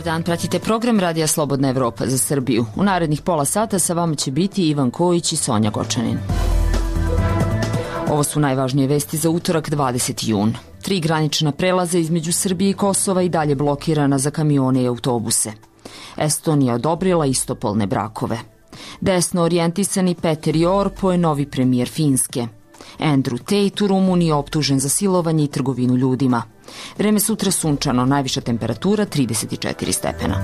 Dobar dan, pratite program Radija Slobodna Evropa za Srbiju. U narednih pola sata sa vama će biti Ivan Kojić i Sonja Gočanin. Ovo su najvažnije vesti za utorak 20. jun. 3 granična prelaza između Srbije i Kosova i dalje blokirana za kamione i autobuse. Estonija odobrila istopolne brakove. Desno orijentisani Peter Orpo je novi premijer Finske. Andrew Tate u Rumuniji je optužen za silovanje i trgovinu ljudima. Vreme sutra sunčano, najviša temperatura 34 stepena.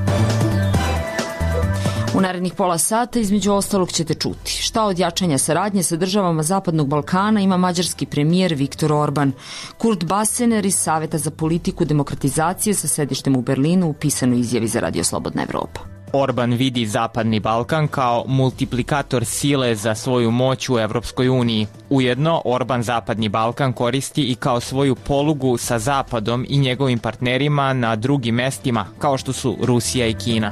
U narednih pola sata između ostalog ćete čuti šta od jačanja saradnje sa državama Zapadnog Balkana ima mađarski premijer Viktor Orban. Kurt Basener iz Saveta za politiku demokratizacije sa sedištem u Berlinu u pisanoj izjavi za Radio Slobodna Evropa. Orban vidi Zapadni Balkan kao multiplikator sile za svoju moć u Evropskoj uniji. Ujedno, Orban Zapadni Balkan koristi i kao svoju polugu sa Zapadom i njegovim partnerima na drugim mestima, kao što su Rusija i Kina.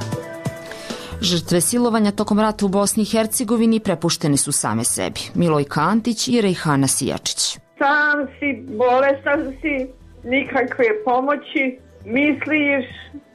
Žrtve silovanja tokom rata u Bosni i Hercegovini prepuštene su same sebi. Milojka Antić i Rejhana Sijačić. Sam si, bolestan si, nikakve pomoći, misliš,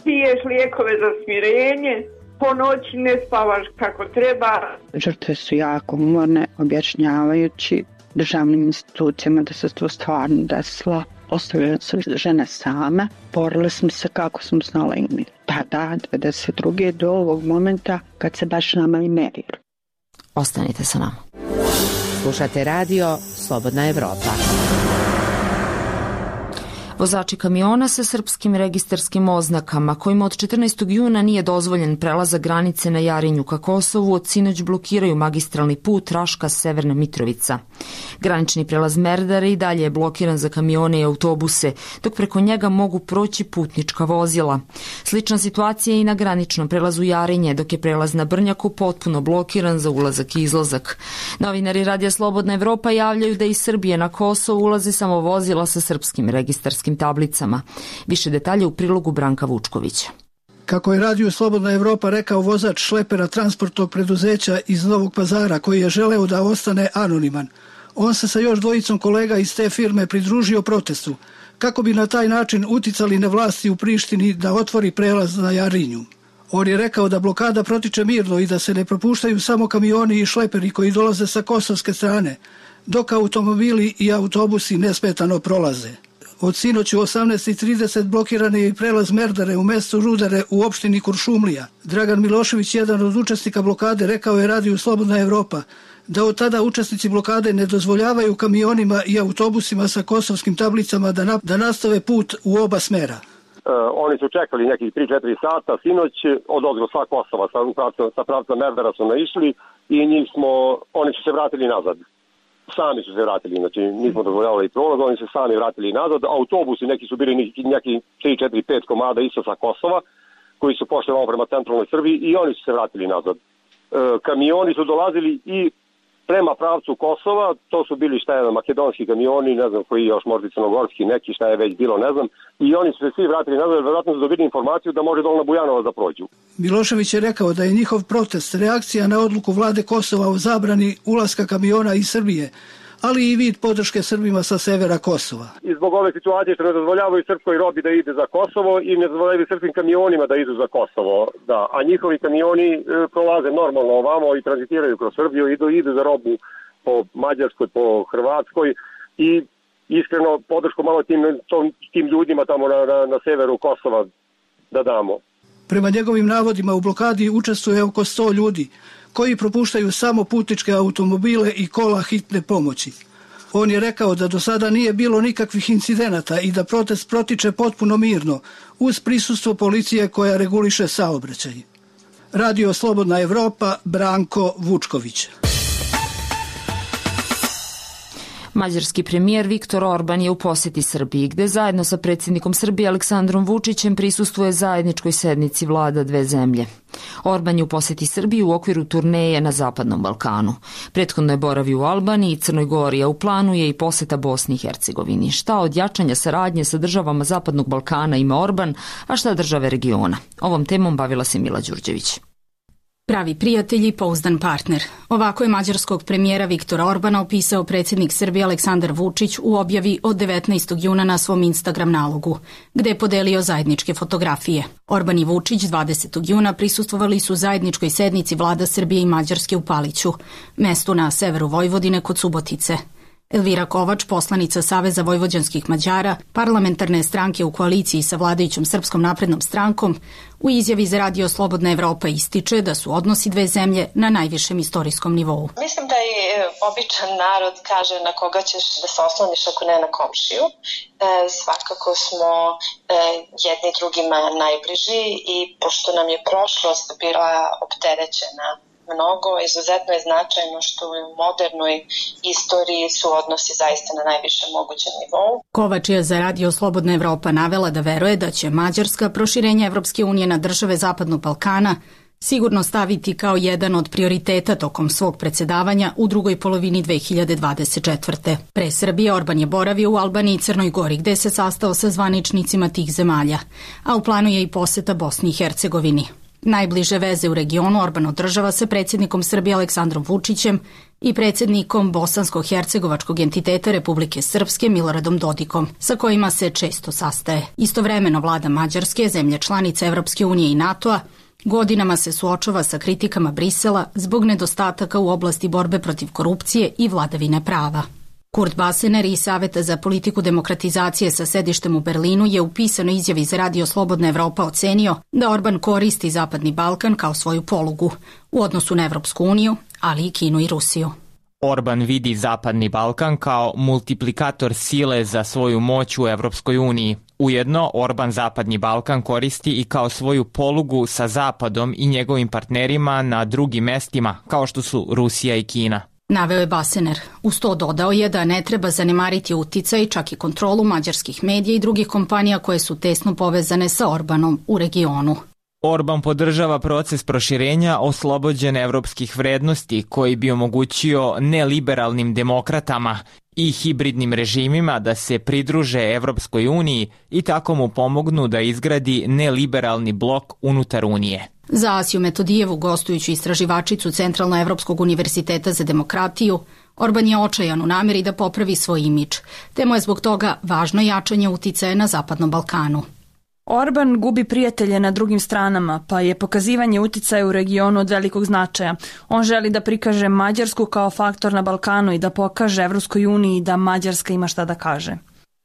piješ lijekove za smirenje, po noći ne spavaš kako treba. Žrtve su jako umorne, objašnjavajući državnim institucijama da se to stvarno desilo. Ostavljaju se žene same, borili smo se kako smo znali mi. Tada, 92. do ovog momenta kad se baš nama i merio. Ostanite sa nama. Slušate radio Slobodna Evropa. Vozači kamiona sa srpskim registarskim oznakama, kojima od 14. juna nije dozvoljen prelazak granice na Jarinju ka Kosovu, od sinoć blokiraju magistralni put Raška-Severna Mitrovica. Granični prelaz Merdare i dalje je blokiran za kamione i autobuse, dok preko njega mogu proći putnička vozila. Slična situacija je i na graničnom prelazu Jarinje, dok je prelaz na Brnjaku potpuno blokiran za ulazak i izlazak. Novinari Radija Slobodna Evropa javljaju da iz Srbije na Kosovo ulaze samo vozila sa srpskim registarskim tablicama. Više detalje u prilogu Branka Vučkovića. Kako je Radio Slobodna Evropa rekao vozač šlepera transportnog preduzeća iz Novog Pazara, koji je želeo da ostane anoniman, on se sa još dvojicom kolega iz te firme pridružio protestu, kako bi na taj način uticali na vlasti u Prištini da otvori prelaz na Jarinju. On je rekao da blokada protiče mirno i da se ne propuštaju samo kamioni i šleperi koji dolaze sa kosovske strane, dok automobili i autobusi nesmetano prolaze. Od sinoć u 18:30 blokiran je i prelaz Merdare u mestu Rudare u opštini Kuršumlija. Dragan Milošević, jedan od učesnika blokade, rekao je Radiju Slobodna Evropa da od tada učesnici blokade ne dozvoljavaju kamionima i autobusima sa kosovskim tablicama da nastave put u oba smera. Oni su čekali nekih 3-4 sata sinoć od sa Kosova, sa pravca Merdara su naišli i oni su se vratili nazad. Sami su se vratili, znači nismo dozvoljavali prolaz, oni se sami vratili nazad. Autobusi, neki su bili neki 3-4-5 komada isto sa Kosova, koji su pošli malo prema centralnoj Srbiji i oni su se vratili nazad. Kamioni su dolazili i prema pravcu Kosova, to su bili makedonski kamioni, ne znam koji još, možda crnogorski neki, šta je već bilo, ne znam, i oni su se svi vratili nazad, jer vjerojatno su dobili informaciju da može dole na Bujanovac da prođu. Milošević je rekao da je njihov protest reakcija na odluku vlade Kosova o zabrani ulaska kamiona iz Srbije, ali i vid podrške Srbima sa severa Kosova. I zbog ove situacije što ne dozvoljavaju srpskoj robi da ide za Kosovo i ne dozvoljavaju srpskim kamionima da idu za Kosovo, da, a njihovi kamioni prolaze normalno ovamo i tranzitiraju kroz Srbiju, idu za robu po Mađarskoj, po Hrvatskoj i iskreno podršku malo tim ljudima tamo na severu Kosova da damo. Prema njegovim navodima u blokadi učestvuje oko 100 ljudi, koji propuštaju samo putničke automobile i kola hitne pomoći. On je rekao da do sada nije bilo nikakvih incidenata i da protest protiče potpuno mirno, uz prisustvo policije koja reguliše saobraćaj. Radio Slobodna Evropa, Branko Vučković. Mađarski premijer Viktor Orban je u poseti Srbiji, gde zajedno sa predsjednikom Srbije Aleksandrom Vučićem prisustvuje zajedničkoj sednici vlada dve zemlje. Orban je u poseti Srbiji u okviru turneje na Zapadnom Balkanu. Prethodno je boravio u Albaniji i Crnoj Gori, a u planu je i poseta Bosni i Hercegovini. Šta od jačanja saradnje sa državama Zapadnog Balkana ima Orban, a šta države regiona? Ovom temom bavila se Mila Đurđević. Pravi prijatelj i pouzdan partner. Ovako je mađarskog premijera Viktora Orbana opisao predsjednik Srbije Aleksandar Vučić u objavi od 19. juna na svom Instagram nalogu, gde je podelio zajedničke fotografije. Orban i Vučić 20. juna prisustvovali su zajedničkoj sednici vlada Srbije i Mađarske u Paliću, mestu na severu Vojvodine kod Subotice. Elvira Kovač, poslanica Saveza vojvođanskih Mađara, parlamentarne stranke u koaliciji sa vladajućom Srpskom naprednom strankom, u izjavi za Radio Slobodna Evropa ističe da su odnosi dve zemlje na najvišem istorijskom nivou. Mislim da i običan narod kaže na koga ćeš da se osloniš ako ne na komšiju. Svakako smo jedni drugima najbliži i pošto nam je prošlost bila opterećena mnogo, izuzetno je značajno što u modernoj istoriji su odnosi zaista na najvišem mogućem nivou. Kovač je za Radio Slobodna Evropa navela da veruje da će Mađarska proširenje Evropske unije na države Zapadnog Balkana sigurno staviti kao jedan od prioriteta tokom svog predsjedavanja u drugoj polovini 2024. Pre Srbije Orban je boravio u Albaniji i Crnoj Gori, gde se sastao sa zvaničnicima tih zemalja, a u planu je i poseta Bosni i Hercegovini. Najbliže veze u regionu Orban održava sa predsjednikom Srbije Aleksandrom Vučićem i predsjednikom bosansko-hercegovačkog entiteta Republike Srpske Miloradom Dodikom, sa kojima se često sastaje. Istovremeno vlada Mađarske, zemlje članice Evropske unije i NATO-a, godinama se suočava sa kritikama Brisela zbog nedostataka u oblasti borbe protiv korupcije i vladavine prava. Kurt Basener iz Saveta za politiku demokratizacije sa sedištem u Berlinu je u pisanoj izjavi za Radio Slobodna Evropa ocenio da Orban koristi Zapadni Balkan kao svoju polugu u odnosu na Evropsku uniju, ali i Kinu i Rusiju. Orban vidi Zapadni Balkan kao multiplikator sile za svoju moć u Evropskoj uniji. Ujedno, Orban Zapadni Balkan koristi i kao svoju polugu sa Zapadom i njegovim partnerima na drugim mestima, kao što su Rusija i Kina. Naveo je Basener. Uz to dodao je da ne treba zanemariti uticaj, čak i kontrolu mađarskih medija i drugih kompanija koje su tesno povezane sa Orbanom u regionu. Orban podržava proces proširenja oslobođen evropskih vrednosti koji bi omogućio neliberalnim demokratama i hibridnim režimima da se pridruže Evropskoj uniji i tako mu pomognu da izgradi neliberalni blok unutar Unije. Za Asiju Metodijevu, gostujuću istraživačicu Centralnoevropskog univerziteta za demokratiju, Orban je očajan u nameri da popravi svoj imidž, te mu je zbog toga važno jačanje uticaja na Zapadnom Balkanu. Orban gubi prijatelje na drugim stranama, pa je pokazivanje uticaja u regionu od velikog značaja. On želi da prikaže Mađarsku kao faktor na Balkanu i da pokaže Evropskoj uniji da Mađarska ima šta da kaže.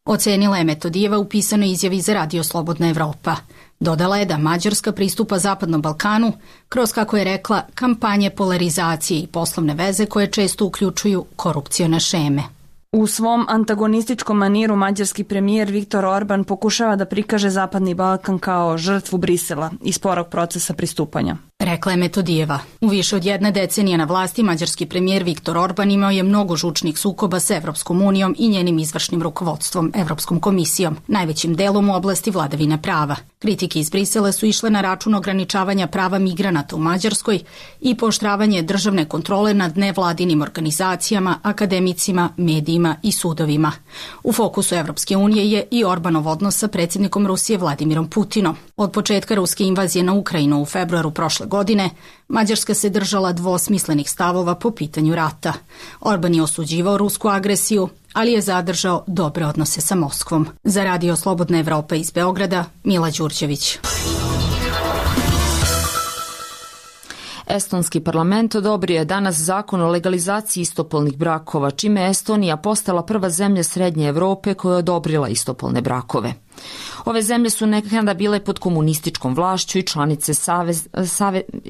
Ocenila je Metodijeva u pisanoj izjavi za Radio Slobodna Evropa. Dodala je da Mađarska pristupa Zapadnom Balkanu kroz, kako je rekla, kampanje polarizacije i poslovne veze koje često uključuju korupcione šeme. U svom antagonističkom maniru mađarski premijer Viktor Orban pokušava da prikaže Zapadni Balkan kao žrtvu Brisela i sporog procesa pristupanja. Rekla je Metodijeva. U više od jedne decenije na vlasti mađarski premijer Viktor Orban imao je mnogo žučnih sukoba sa Evropskom unijom i njenim izvršnim rukovodstvom, Evropskom komisijom, najvećim delom u oblasti vladavine prava. Kritike iz Brisela su išle na račun ograničavanja prava migranata u Mađarskoj i pooštravanje državne kontrole nad nevladinim organizacijama, akademicima, medijima i sudovima. U fokusu Evropske unije je i Orbanov odnos sa predsjednikom Rusije Vladimirom Putinom. Od početka ruske invazije na Ukrajinu u februaru prošle godine, Mađarska se držala dvosmislenih stavova po pitanju rata. Orban je osuđivao rusku agresiju, ali je zadržao dobre odnose sa Moskvom. Za Radio Slobodna Evropa iz Beograda, Mila Đurđević. Estonski parlament odobrio je danas zakon o legalizaciji istopolnih brakova, čime je Estonija postala prva zemlja Srednje Evrope koja je odobrila istopolne brakove. Ove zemlje su nekada bile pod komunističkom vlašću i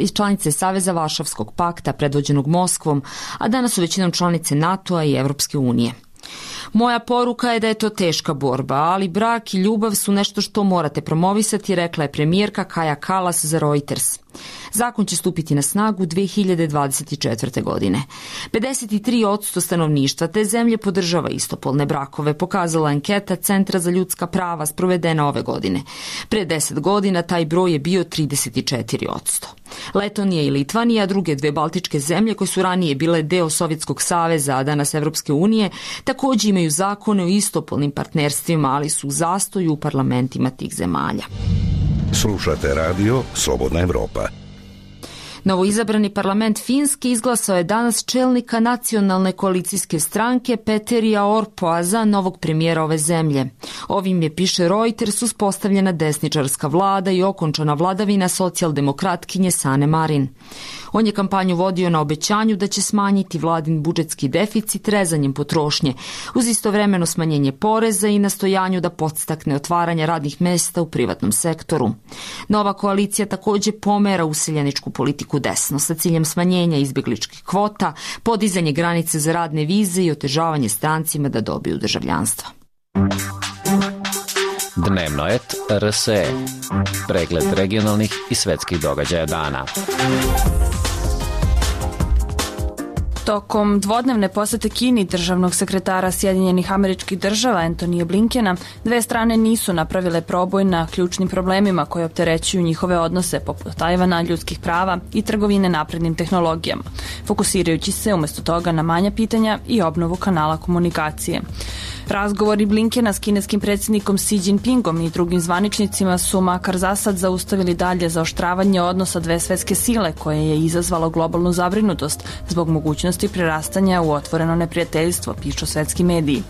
članice Saveza Varšavskog pakta predvođenog Moskvom, a danas su većinom članice NATO-a i Evropske unije. Moja poruka je da je to teška borba, ali brak i ljubav su nešto što morate promovisati, rekla je premijerka Kaja Kallas za Reuters. Zakon će stupiti na snagu 2024. godine. 53% stanovništva te zemlje podržava istopolne brakove, pokazala anketa Centra za ljudska prava sprovedena ove godine. Pre 10 godina taj broj je bio 34%. Letonija i Litvanija, druge dve baltičke zemlje koje su ranije bile deo Sovjetskog saveza, a danas Evropske unije, također imaju zakone o istopolnim partnerstvima, ali su u zastoju u parlamentima tih zemalja. Slušate radio Slobodna Evropa. Novoizabrani parlament Finske izglasao je danas čelnika nacionalne koalicijske stranke Peterija Orpoa za novog premijera ove zemlje. Ovim je, piše Reuters, uspostavljena desničarska vlada i okončana vladavina socijaldemokratkinje Sanne Marin. On je kampanju vodio na obećanju da će smanjiti vladin budžetski deficit rezanjem potrošnje, uz istovremeno smanjenje poreza i nastojanju da podstakne otvaranje radnih mesta u privatnom sektoru. Nova koalicija također pomera useljeničku politiku desno sa ciljem smanjenja izbjegličkih kvota, podizanje granice za radne vize i otežavanje strancima da dobiju državljanstvo. Dnevnoet RSE. Pregled regionalnih i svetskih događaja dana. Tokom dvodnevne posete Kini državnog sekretara Sjedinjenih Američkih Država Antonija Blinkena, dve strane nisu napravile proboj na ključnim problemima koje opterećuju njihove odnose, poput Tajvana, ljudskih prava i trgovine naprednim tehnologijama, fokusirajući se umjesto toga na manja pitanja i obnovu kanala komunikacije. Razgovori Blinkena s kineskim predsjednikom Xi Jinpingom i drugim zvaničnicima su makar za sad zaustavili dalje zaoštravanje odnosa dve svetske sile koje je izazvalo globalnu zabrinutost zbog mogućnosti prerastanja u otvoreno neprijateljstvo, pišu svetski mediji.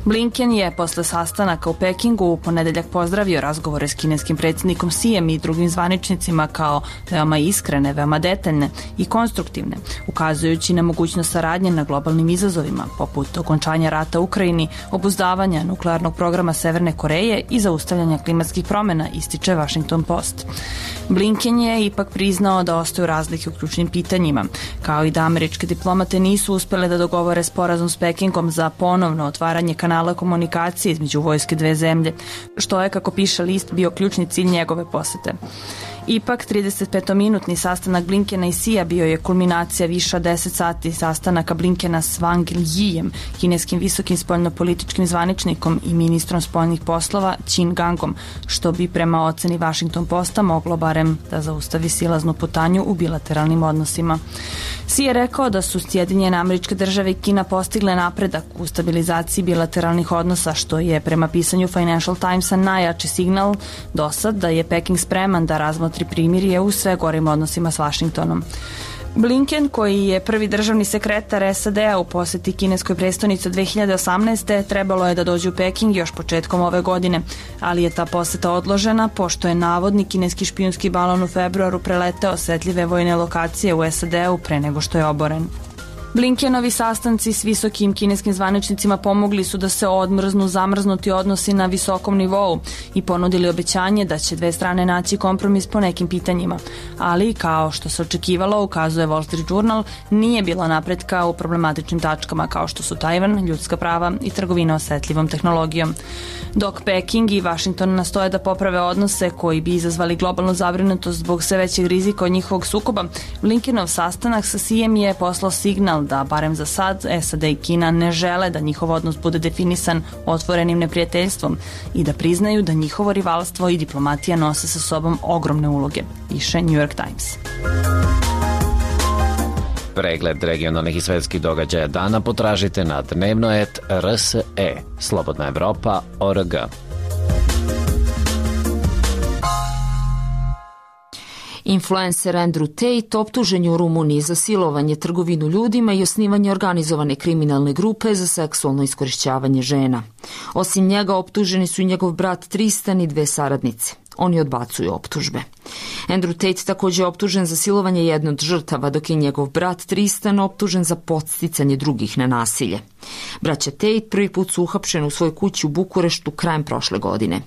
Blinken je posle sastanaka u Pekingu u ponedeljak pozdravio razgovore s kineskim predsjednikom Xijem i drugim zvaničnicima kao veoma iskrene, veoma detaljne i konstruktivne, ukazujući na mogućnost saradnje na globalnim izazovima, poput okončanja rata u Ukrajini, obuzdavanja nuklearnog programa Severne Koreje i zaustavljanja klimatskih promjena, ističe Washington Post. Blinken je ipak priznao da ostaju razlike u ključnim pitanjima, kao i da američke diplomate nisu uspjele da dogovore sporazum s Pekingom za ponovno otvaranje kanala komunikacije između vojske dve zemlje, što je, kako piše list, bio ključni cilj njegove posete. Ipak, 35-minutni sastanak Blinkena i Xija bio je kulminacija više od 10 sati sastanaka Blinkena s Wang Yijem, kineskim visokim spoljnopolitičkim zvaničnikom i ministrom spoljnih poslova Qin Gangom, što bi prema oceni Washington Posta moglo barem da zaustavi silaznu putanju u bilateralnim odnosima. Xi je rekao da su Sjedinjene Američke Države i Kina postigle napredak u stabilizaciji bilateralnih odnosa, što je prema pisanju Financial Timesa najjači signal do sad da je Peking spreman da razmotri primirje u sve gorim odnosima s Washingtonom. Blinken, koji je prvi državni sekretar SAD-a u poseti kineskoj prestonici 2018. trebalo je da dođe u Peking još početkom ove godine, ali je ta poseta odložena pošto je navodni kineski špijunski balon u februaru preleteo osetljive vojne lokacije u SAD-u pre nego što je oboren. Blinkenovi sastanci s visokim kineskim zvaničnicima pomogli su da se odmrznu zamrznuti odnosi na visokom nivou i ponudili obećanje da će dve strane naći kompromis po nekim pitanjima. Ali, kao što se očekivalo, ukazuje Wall Street Journal, nije bilo napretka u problematičnim tačkama kao što su Tajvan, ljudska prava i trgovina osetljivom tehnologijom. Dok Peking i Washington nastoje da poprave odnose koji bi izazvali globalnu zabrinutost zbog sve većeg rizika od njihovog sukoba, Blinkenov sastanak sa Xijem je poslao signal da, barem za sad, SAD i Kina ne žele da njihov odnos bude definisan otvorenim neprijateljstvom i da priznaju da njihovo rivalstvo i diplomatija nose sa sobom ogromne uloge, piše New York Times. Pregled regionalnih i svetskih događaja dana potražite na dnevnoet RSE, Slobodna Evropa.org. Influencer Andrew Tate optužen je u Rumuniji za silovanje, trgovinu ljudima i osnivanje organizovane kriminalne grupe za seksualno iskorišćavanje žena. Osim njega optuženi su i njegov brat Tristan i dve saradnice. Oni odbacuju optužbe. Andrew Tate također je optužen za silovanje jedne od žrtava, dok je njegov brat Tristan optužen za podsticanje drugih na nasilje. Braća Tate prvi put su uhapšeni u svojoj kući u Bukureštu krajem prošle godine.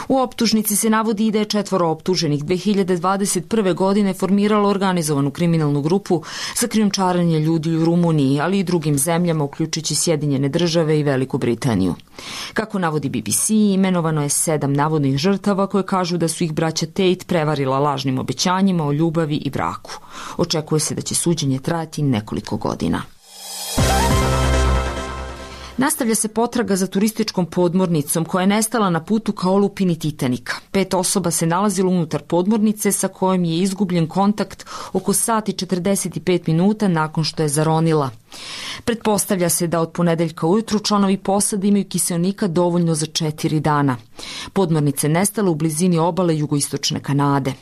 U optužnici se navodi i da je 4 optuženih 2021. godine formiralo organizovanu kriminalnu grupu za krijumčarenje ljudi u Rumuniji, ali i drugim zemljama, uključujući Sjedinjene Države i Veliku Britaniju. Kako navodi BBC, imenovano je 7 navodnih žrtava koje kažu da su ih braća Tate prevarila lažnim obećanjima o ljubavi i braku. Očekuje se da će suđenje trajati nekoliko godina. Nastavlja se potraga za turističkom podmornicom koja je nestala na putu ka olupini Titanika. 5 osoba se nalazilo unutar podmornice sa kojom je izgubljen kontakt oko sat i 45 minuta nakon što je zaronila. Pretpostavlja se da od ponedeljka ujutru članovi posade imaju kiseonika dovoljno za 4 dana. Podmornice nestale u blizini obale jugoistočne Kanade.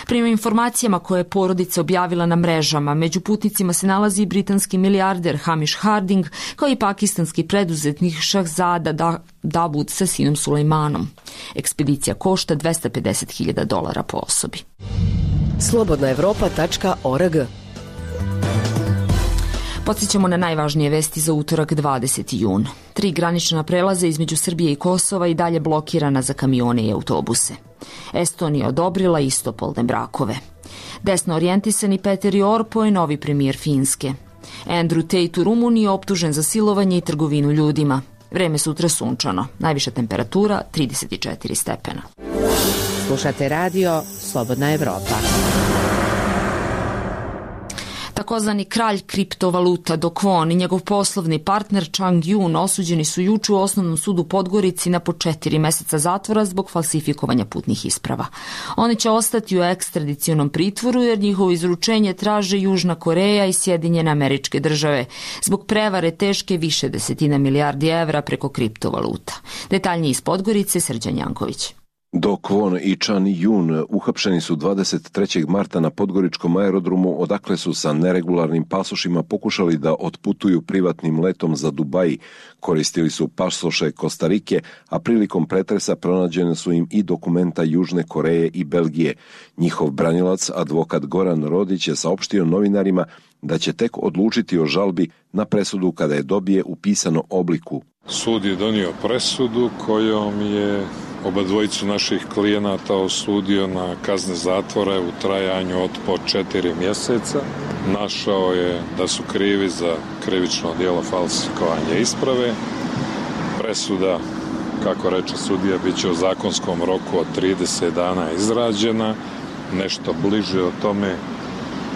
Prema informacijama koje je porodica objavila na mrežama, među putnicima se nalazi i britanski milijarder Hamish Harding, kao i pakistanski preduzetnik Shahzada Dawood sa sinom Sulejmanom. Ekspedicija košta $250.000 po osobi. slobodnaevropa.org. Podsjećamo na najvažnije vesti za utorak 20. jun. 3 granična prelaza između Srbije i Kosova i dalje blokirana za kamione i autobuse. Estonija odobrila istopolne brakove. Desno orijentisani Peter Orpo je novi premijer Finske. Andrew Tate u Rumuniji optužen za silovanje i trgovinu ljudima. Vreme sutra sunčano. Najviša temperatura 34 stepena. Slušate radio Slobodna Evropa. Takozvani kralj kriptovaluta Do Kwon i njegov poslovni partner Chang Yun osuđeni su juče u Osnovnom sudu Podgorici na po 4 meseca zatvora zbog falsifikovanja putnih isprava. Oni će ostati u ekstradicionom pritvoru jer njihovo izručenje traže Južna Koreja i Sjedinjene Američke Države zbog prevare teške više desetina milijardi evra preko kriptovaluta. Detaljnije iz Podgorice, Srđan Janković. Do Kwon i Chan Yun uhapšeni su 23. marta na podgoričkom aerodromu, odakle su sa neregularnim pasošima pokušali da otputuju privatnim letom za Dubaj. Koristili su pasoše Kostarike, a prilikom pretresa pronađene su im i dokumenta Južne Koreje i Belgije. Njihov branilac, advokat Goran Rodić, je saopštio novinarima da će tek odlučiti o žalbi na presudu kada je dobije u pisanom obliku. Sud je donio presudu kojom je oba dvojicu naših klijenata osudio na kazne zatvora u trajanju od po 4 mjeseca. Našao je da su krivi za krivično djelo falsifikovanja isprave. Presuda, kako reče sudija, bit će u zakonskom roku od 30 dana izrađena. Nešto bliže o tome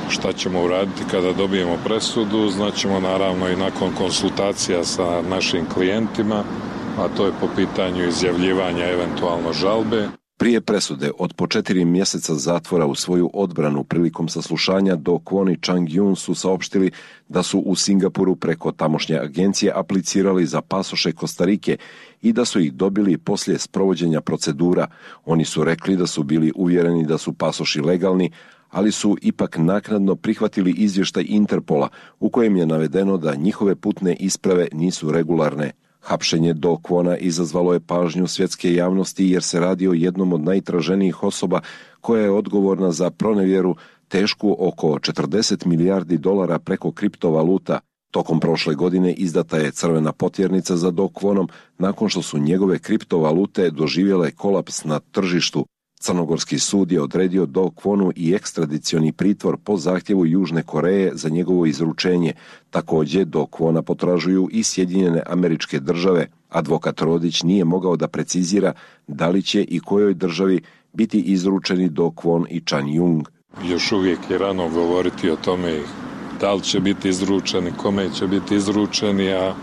šta ćemo uraditi kada dobijemo presudu, znaćemo naravno i nakon konsultacija sa našim klijentima, a to je po pitanju izjavljivanja eventualno žalbe. Prije presude od po 4 mjeseca zatvora u svoju odbranu prilikom saslušanja Do Kwon i Chang Yun su saopštili da su u Singapuru preko tamošnje agencije aplicirali za pasoše Kostarike i da su ih dobili poslije sprovođenja procedura. Oni su rekli da su bili uvjereni da su pasoši legalni, ali su ipak naknadno prihvatili izvještaj Interpola u kojem je navedeno da njihove putne isprave nisu regularne. Hapšenje Do Kwona izazvalo je pažnju svjetske javnosti jer se radi o jednom od najtraženijih osoba koja je odgovorna za pronevjeru tešku oko $40 milijardi preko kriptovaluta. Tokom prošle godine izdata je crvena potjernica za Do Kwonom nakon što su njegove kriptovalute doživjele kolaps na tržištu. Crnogorski sud je odredio Do Kwonu i ekstradicioni pritvor po zahtjevu Južne Koreje za njegovo izručenje. Također Do Kwona potražuju i Sjedinjene Američke Države. Advokat Rodić nije mogao da precizira da li će i kojoj državi biti izručeni Do Kwon i Chan Yun. Još uvijek je rano govoriti o tome da li će biti izručeni, kome će biti izručeni, a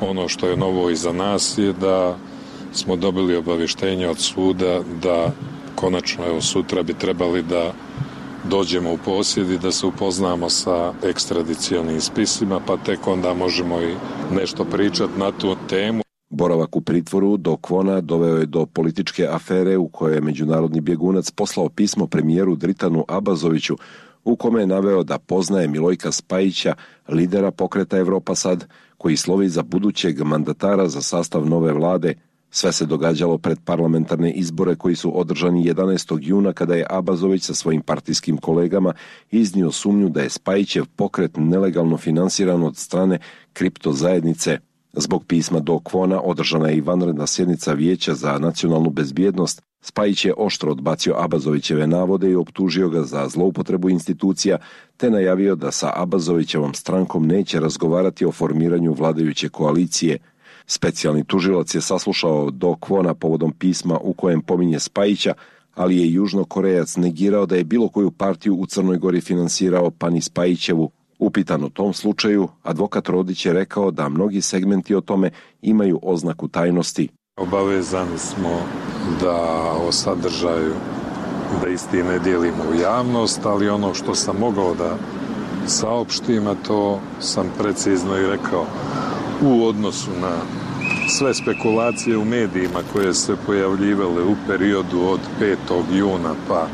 ono što je novo iza nas je da smo dobili obavještenje od suda da konačno, evo sutra bi trebali da dođemo u posjed i da se upoznamo sa ekstradicionim spisima, pa tek onda možemo i nešto pričati na tu temu. Boravak u pritvoru Do Kwona doveo je do političke afere u kojoj je međunarodni bjegunac poslao pismo premijeru Dritanu Abazoviću u kome je naveo da poznaje Milojka Spajića, lidera pokreta Evropa Sad, koji slovi za budućeg mandatara za sastav nove vlade. Sve se događalo pred parlamentarne izbore koji su održani 11. juna kada je Abazović sa svojim partijskim kolegama iznio sumnju da je Spajićev pokret nelegalno finansiran od strane kripto zajednice. Zbog pisma Do Kwona održana je i vanredna sjednica Vijeća za nacionalnu bezbjednost. Spajić je oštro odbacio Abazovićeve navode i optužio ga za zloupotrebu institucija, te najavio da sa Abazovićevom strankom neće razgovarati o formiranju vladajuće koalicije. Specijalni tužilac je saslušao Do Kwona povodom pisma u kojem pominje Spajića, ali je Južnokorejac negirao da je bilo koju partiju u Crnoj Gori finansirao pa ni Spajićevu. Upitan o tom slučaju, advokat Rodić je rekao da mnogi segmenti o tome imaju oznaku tajnosti. Obavezani smo da o sadržaju da isti ne dijelimo u javnost, ali ono što sam mogao da saopštim, a to sam precizno i rekao u odnosu na sve spekulacije u medijima koje se pojavljivale u periodu od 5. juna pa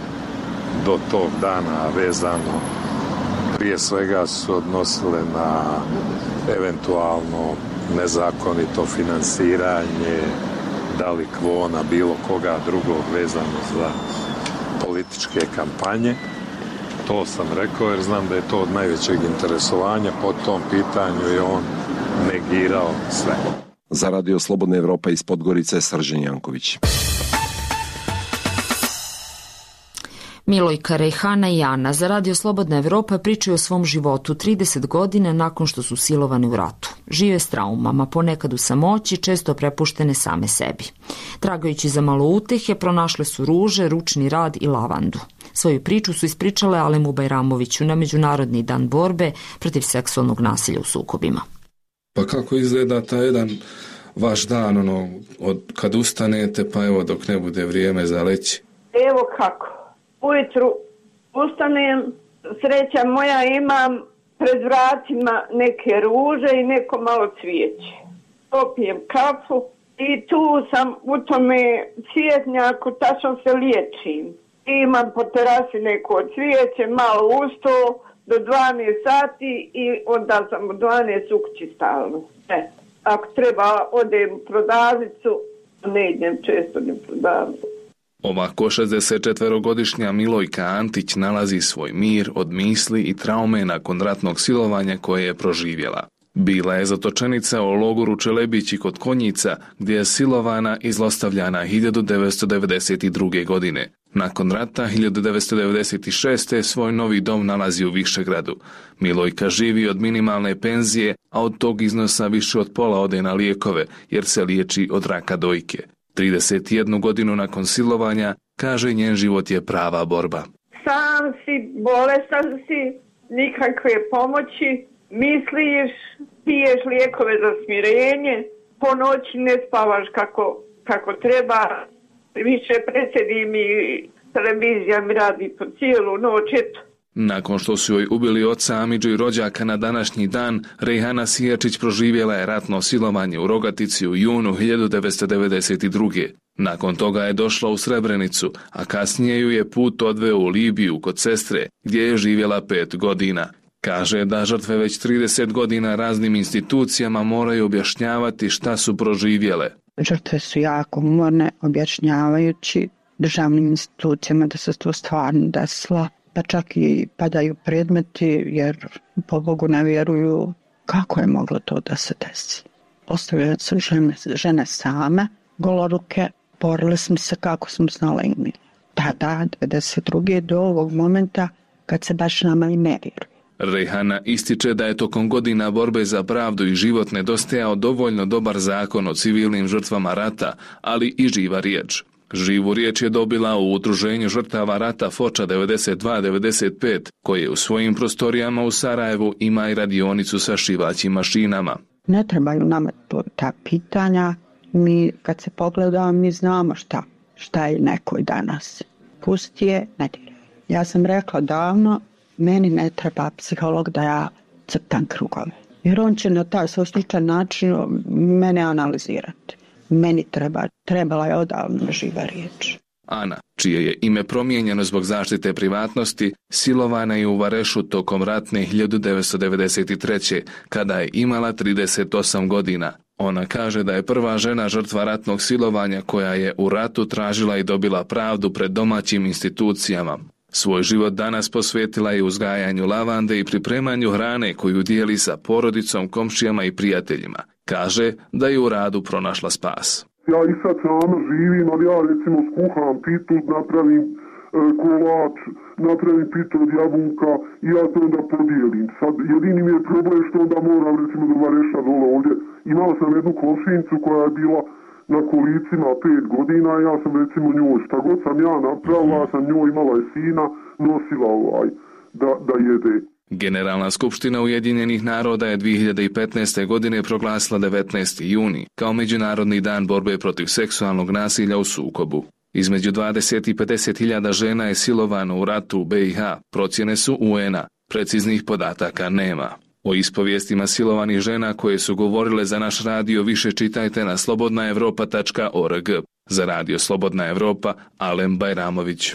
do tog dana vezano prije svega su odnosile na eventualno nezakonito finansiranje, da li kvona bilo koga drugog vezano za političke kampanje. To sam rekao jer znam da je to od najvećeg interesovanja. Po tom pitanju je on negirao sve. Za Radio Slobodna Evropa iz Podgorice, Srđan Janković. Milojka, Rejhana i Ana za Radio Slobodna Evropa pričaju o svom životu 30 godina nakon što su silovane u ratu. Žive s traumama, ponekad u samoći, često prepuštene same sebi. Tragajući za malo utehe, pronašle su ruže, ručni rad i lavandu. Svoju priču su ispričale Alemu Bajramoviću na Međunarodni dan borbe protiv seksualnog nasilja u sukobima. Pa kako izgleda taj jedan vaš dan, od kad ustanete pa evo dok ne bude vrijeme za leći? Evo kako. Ujutru ustanem, sreća moja, imam pred vratima neke ruže i neko malo cvijeće. Popijem kafu i tu sam u tome cvjetnjaku, tačno se liječim. Imam po terasi neko cvijeće, malo usto do 12 sati i onda sam u 12 u kući stalno. Ako treba odem u prodavnicu, ne idem često ni u prodavnicu. Ovako 64-godišnja Milojka Antić nalazi svoj mir od misli i traume nakon ratnog silovanja koje je proživjela. Bila je zatočenica u logoru Čelebići kod Konjica, gdje je silovana i zlostavljana 1992. godine. Nakon rata 1996. svoj novi dom nalazi u Višegradu. Milojka živi od minimalne penzije, a od tog iznosa više od pola ode na lijekove, jer se liječi od raka dojke. 31 godinu nakon silovanja, kaže, njen život je prava borba. Sam si, bolestan si, nikakve pomoći, misliš, piješ lijekove za smirenje, po noći ne spavaš kako treba, više presedim i televizija mi radi po cijelu noć, eto. Nakon što su joj ubili oca, amidžu i rođaka na današnji dan, Rejhana Sijačić proživjela je ratno silovanje u Rogatici u junu 1992. Nakon toga je došla u Srebrenicu, a kasnije ju je put odveo u Libiju kod sestre, gdje je živjela 5 godina. Kaže da žrtve već 30 godina raznim institucijama moraju objašnjavati šta su proživjele. Žrtve su jako umorne objašnjavajući državnim institucijama da se to stvarno desilo. Pa čak i padaju predmeti jer po Bogu ne vjeruju kako je moglo to da se desi. Ostavljaju se žene same, goloruke, borili smo se kako smo znali i mi. Tada, 92. do ovog momenta kad se baš nama i ne vjeruje. Rejhana ističe da je tokom godina borbe za pravdu i život nedostajao dovoljno dobar zakon o civilnim žrtvama rata, ali i živa riječ. Živu riječ je dobila u udruženju žrtava rata Foča 92-95, koje u svojim prostorijama u Sarajevu ima i radionicu sa šivaćim mašinama. Ne trebaju nama ta pitanja. Mi kad se pogledamo, mi znamo šta je nekoj danas. Pusti je, ne diraj. Ja sam rekla davno, meni ne treba psiholog da ja crtam krugove. Jer on će na taj sličan način mene analizirati. Meni trebala je odavno živa riječ. Ana, čije je ime promijenjeno zbog zaštite privatnosti, silovana je u Varešu tokom ratne 1993. kada je imala 38 godina. Ona kaže da je prva žena žrtva ratnog silovanja koja je u ratu tražila i dobila pravdu pred domaćim institucijama. Svoj život danas posvetila je uzgajanju lavande i pripremanju hrane koju dijeli sa porodicom, komšijama i prijateljima. Kaže da je u radu pronašla spas. Ja i sad sama živim, ali ja recimo skuham pitu, napravim kolač, napravim pitu od jabuka i ja to onda podijelim. Sad jedini mi je problem što onda moram recimo do Vareša dole ovdje. Imao sam jednu komšinicu koja je bila na kolicima 5 godina, ja sam recimo njoj, šta god sam ja napravila, sam njoj, imala je sina, nosila da jede. Generalna skupština Ujedinjenih naroda je 2015. godine proglasila 19. juni kao Međunarodni dan borbe protiv seksualnog nasilja u sukobu. Između 20 i 50 hiljada žena je silovano u ratu u BiH, procjene su UN-a. Preciznih podataka nema. O ispovijestima silovanih žena koje su govorile za naš radio više čitajte na slobodnaevropa.org. Za radio Slobodna Evropa, Alen Bajramović.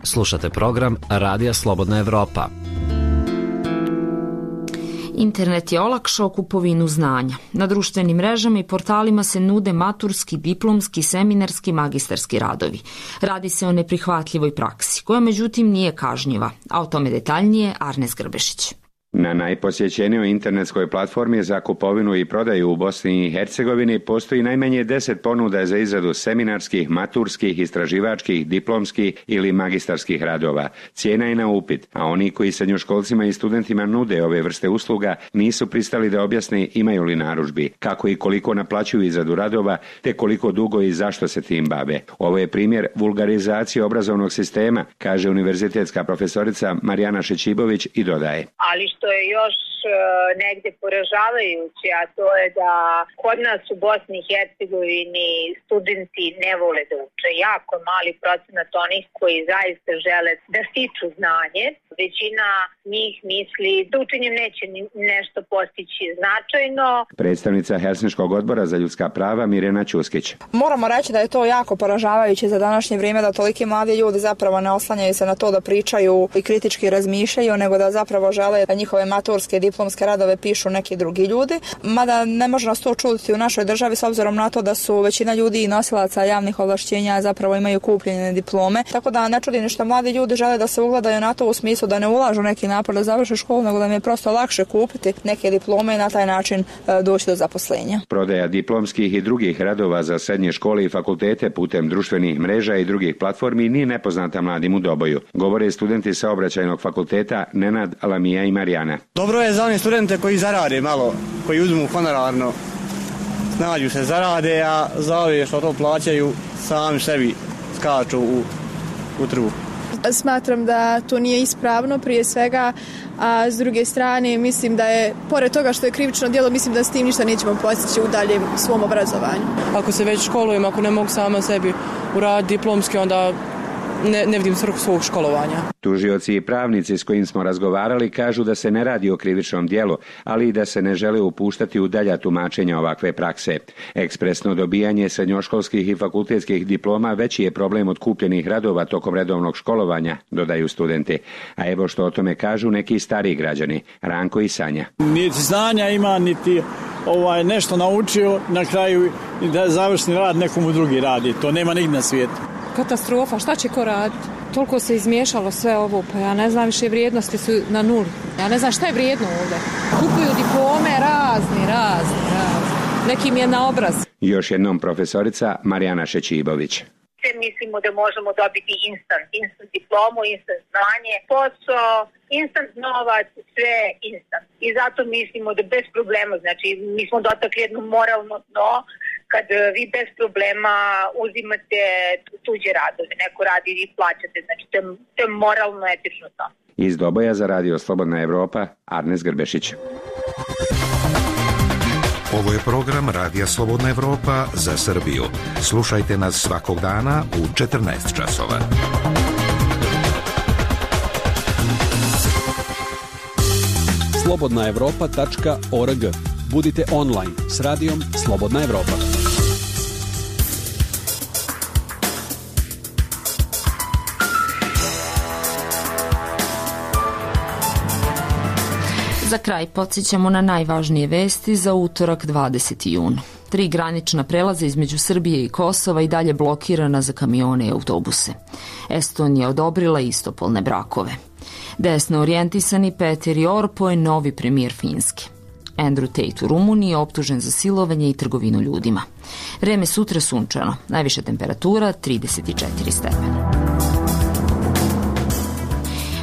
Slušate program Radija Slobodna Evropa. Internet je olakšao kupovinu znanja. Na društvenim mrežama i portalima se nude maturski, diplomski, seminarski, magistarski radovi. Radi se o neprihvatljivoj praksi, koja međutim nije kažnjiva, a o tome detaljnije Arnes Grbešić. Na najposjećenijoj internetskoj platformi za kupovinu i prodaju u Bosni i Hercegovini postoji najmanje 10 ponuda za izradu seminarskih, maturskih, istraživačkih, diplomskih ili magistarskih radova. Cijena je na upit, a oni koji srednjoškolcima i studentima nude ove vrste usluga nisu pristali da objasne imaju li narudžbi, kako i koliko naplaćuju izradu radova, te koliko dugo i zašto se tim bave. Ovo je primjer vulgarizacije obrazovnog sistema, kaže univerzitetska profesorica Marijana Šećibović i dodaje. Ali što je još negdje poražavajuće, a to je da kod nas u Bosni i Hercegovini studenti ne vole da uče. Jako mali procenat onih koji zaista žele da stiču znanje. Većina njih misli da učenjem neće nešto postići značajno. Predstavnica Helsinškog odbora za ljudska prava Mirjana Ćuskić. Moramo reći da je to jako poražavajuće za današnje vrijeme, da toliki mladi ljudi zapravo ne oslanjaju se na to da pričaju i kritički razmišljaju, nego da zapravo žele da njihove maturske diplomske radove pišu neki drugi ljudi. Mada ne može nas to čuditi u našoj državi s obzirom na to da su većina ljudi i nosilaca javnih ovlašćenja zapravo imaju kupljene diplome. Tako da ne čudi što mladi ljudi žele da se ugledaju na to u smislu da ne ulažu neki napor da završe školu, nego da im je prosto lakše kupiti neke diplome i na taj način doći do zaposlenja. Prodaja diplomskih i drugih radova za srednje škole i fakultete putem društvenih mreža i drugih platformi nije nepoznata mladim u Doboju. Govore studenti Saobraćajnog fakulteta Nenad, Lamija i Marijana. Dobro je za one studente koji zarade malo, koji uzmu honorarno, snađu se, zarade, a za ove što to plaćaju sami sebi skaču u trbu. Smatram da to nije ispravno prije svega, a s druge strane mislim da je, pored toga što je krivično djelo, mislim da s tim ništa nećemo postići u daljem svom obrazovanju. Ako se već školujem, ako ne mogu sama sebi uraditi diplomski, onda ne vidim svrhu svog školovanja. Tužioci i pravnici s kojim smo razgovarali kažu da se ne radi o krivičnom djelu, ali i da se ne žele upuštati u dalja tumačenja ovakve prakse. Ekspresno dobijanje srednjoškolskih i fakultetskih diploma veći je problem od kupljenih radova tokom redovnog školovanja, dodaju studenti. A evo što o tome kažu neki stariji građani, Ranko i Sanja. Niti znanja ima, niti nešto naučio, na kraju da završni rad nekomu drugi radi. To nema nigdje na svijetu. Katastrofa, šta će ko raditi? Toliko se izmiješalo sve ovo, pa ja ne znam, više vrijednosti su na nuli. Ja ne znam šta je vrijedno ovdje. Kupuju diplome razni. Nekim je na obraz. Još jednom profesorica Marijana Šećibović. Mislimo da možemo dobiti instant diplomu, instant znanje, posao, instant novac, sve instant. I zato mislimo da bez problema, znači mi smo dotakli jedno moralno dno, kad vi bez problema uzimate tuđe radove, neko radi i vi plaćate, znači to je moralno etično to. Iz Doboja za radio Slobodna Evropa, Arnes Grbešić. Ovo je program Radija Slobodna Evropa za Srbiju. Slušajte nas svakog dana u 14 časova. slobodnaevropa.org. Budite online s radijom Slobodna Evropa. Za kraj podsjećamo na najvažnije vesti za utorak 20. jun. 3 granična prelaza između Srbije i Kosova i dalje blokirana za kamione i autobuse. Estonija odobrila istopolne brakove. Desno orijentisani Petteri Orpo je novi premijer Finske. Andrew Tate u Rumuniji je optužen za silovanje i trgovinu ljudima. Vreme sutra sunčano, najviša temperatura 34 stepena.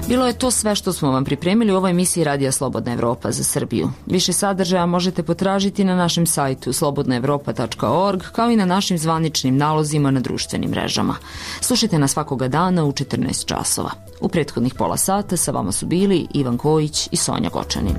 Bilo je to sve što smo vam pripremili u ovoj emisiji Radija Slobodna Evropa za Srbiju. Više sadržaja možete potražiti na našem sajtu slobodnaevropa.org kao i na našim zvaničnim nalozima na društvenim mrežama. Slušajte nas svakoga dana u 14 časova. U prethodnih pola sata sa vama su bili Ivan Kojić i Sonja Gočanin.